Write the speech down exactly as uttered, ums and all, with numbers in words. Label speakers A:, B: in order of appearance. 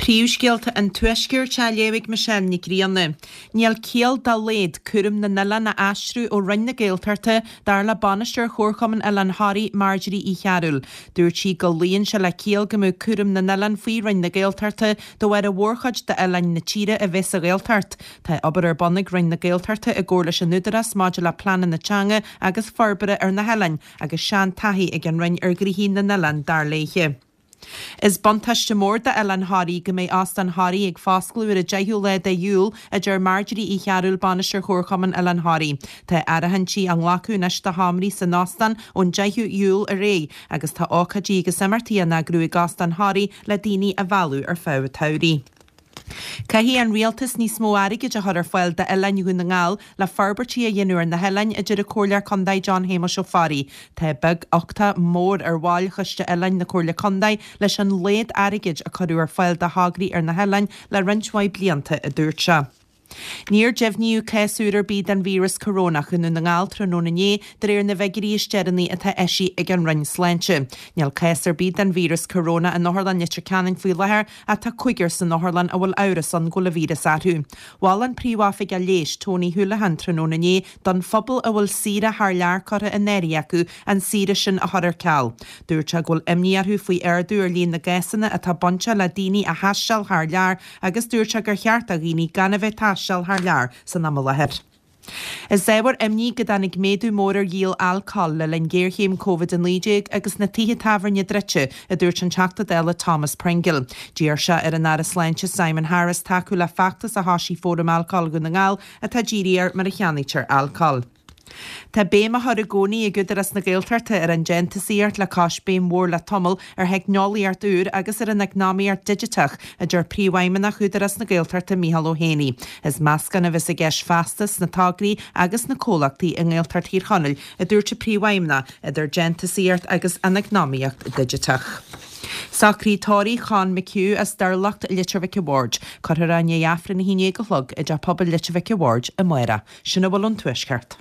A: Príomhscéalta an Tuaiscirt á léamh ag Michelle Nic Grianna. Níl ciall dá laghad cúram na n-oileán a aistriú ó Roinn na Gaeltachta dar le bainisteoir Chomharchumann Oileán Thoraí, Marjorie Uí Chearúil. Dúirt sí go luíonn sé le ciall go mbeadh cúram na n-oileán faoi Roinn na Gaeltachta de bharr a mhórchuid d'oileáin na tíre a bheith sa Ghaeltacht. Tá obair ar bun ag Roinn na Gaeltachta i gcomhar leis an Údarás maidir le pleananna teanga agus forbartha ar na hoileáin agus seantaithí ag an Roinn ar ghnoithí na n-oileán dar léi. Is buntáiste mór d'Oileán Thoraí go mbeidh Óstán Thoraí ag foscladh ar an deichiú lá de Iúil, a deir Marjorie Uí Chearúil, Bainisteoir Chomharchumann Oileán Thoraí. Tá áirithintí á nglacadh anois do sheomraí san óstán ón deichiú Iúil ar aghaidh agus tá ócáidí agus imeachtaí á n-eagrú ag Óstán Thoraí le daoine a mhealladh ar feadh an tsamhraidh. Caithfidh an rialtas níos mó airgid a chur ar fáil d'oileáin Dhún na nGall le forbairtí a dhéanamh ar na hoileáin, a deir an Comhairleoir Contae John Shéamuis Ó Fearraigh. Tá beag uchtach mór ar bhaill Choiste Oileáin na Comhairle Contae leis an laghad airgid a cuireadh ar fáil do thograí ar na hoileáin le roinnt mhaith blianta, a dúirt sé. Níor deimhníodh cás úr ar bith den víreas corónach i nDún na nGall tráthnóna inné, de réir na bhfigiúirí is deireanaí atá eisithe ag an Roinn Sláinte. Níl cás ar bith den víreas corónach in Otharlann Leitir Ceanainn faoi láthair ach tá cúigear san otharlann a bhfuil amhras ann go bhfuil an víreas orthu. Mhol an Príomhoifigeach Leighis, Tony Holohan, tráthnóna inné don phobal a bhfuil saoire thar lear curtha in áirithe acu an saoire sin a chur ar ceal. Dúirt sé go bhfuil imní orthu faoi ardú ar líon na gcásanna atá bainteach le daoine a thaisteal thar lear agus dúirt sé gur cheart do dhaoine gan a bheith ag taisteal thar lear san am i láthair. Is ábhar imní go dtáinig méadú mór ar dhíol alcóil le linn géarchéim Covid a naoi déag agus na tithe tábhairne druidte, a dúirt an Teachta Dála Thomas Pringle. D'iarr sé ar an Aire Sláinte Simon Harris tacú le feachtas a thosaigh Fóram Alcóil Dhún na nGall atá dírithe ar mar a cheannaítear alcól. Tá béim á chur i gcónaí ag Údarás na Gaeltachta ar an déantúsaíocht le cois béim mhór le tamall ar theicneolaíocht úr agus ar an eacnamaíocht digiteach, a deir Príomhfheidhmeannach Údarás na Gaeltachta Micheál Ó hÉanaí. Is meascán a bheas i gceist feasta sna tograí agus na comhlachtaí i nGaeltacht Thír Chonaill, a dúirt an Príomhfheidhmeannach, idir déantúsaíocht agus an eacnamaíocht digiteach. Socruithe tórraimh Chon McHugh as Durlacht, Leitir Mhic a' Bhaird. Cuirfear é i ndiaidh Aifreann a haon déag a chlog i dTeach Pobail Leitir Mhic a' Bhaird amárach. Sin a bhfuil ón Tuaisceart.